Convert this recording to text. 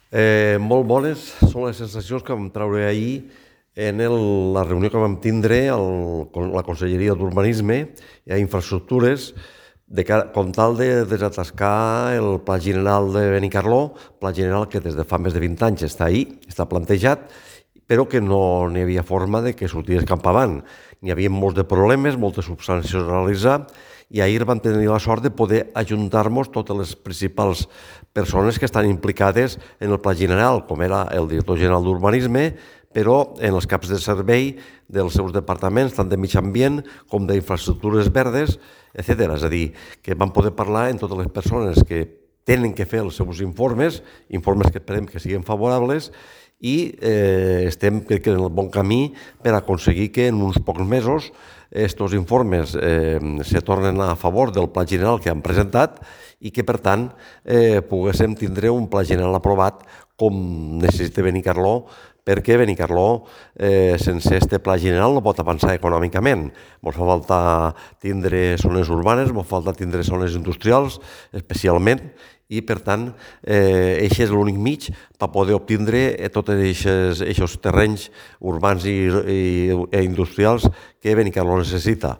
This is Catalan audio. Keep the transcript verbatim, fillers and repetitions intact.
Eh, molt bones són les sensacions que vam treure ahir en el, la reunió que vam tindre el, con la Conselleria d'Urbanisme i a Infraestructures de cara, com tal de desatascar el Pla General de Benicarló, Pla General que des de fa més de vint anys està ahí, està plantejat, però que no n'hi havia forma de que sortís cap avant. N'hi havia molts de problemes, moltes substàncies a realitzar, i ahir vam tenir la sort de poder ajuntar-nos totes les principals persones que estan implicades en el Pla General, com era el director general d'Urbanisme, però en els caps de servei dels seus departaments, tant de mig ambient com d'infraestructures verdes, etcètera. És a dir, que vam poder parlar amb totes les persones que tenen que fer els seus informes, informes que esperem que siguin favorables, i eh, estem, crec que, en el bon camí per aconseguir que en uns pocs mesos aquests informes eh, se tornen a favor del Pla General que han presentat i que, per tant, eh, poguéssim tindre un Pla General aprovat com necessita Benicarló, perquè Benicarló, eh, sense este Pla General, no pot avançar econòmicament. Ens fa falta tindre zones urbanes, ens fa falta tindre zones industrials, especialment, i, per tant, eh, això és l'únic mig per poder obtindre tots aquests terrenys urbans i, i, i industrials que Benicarló necessita.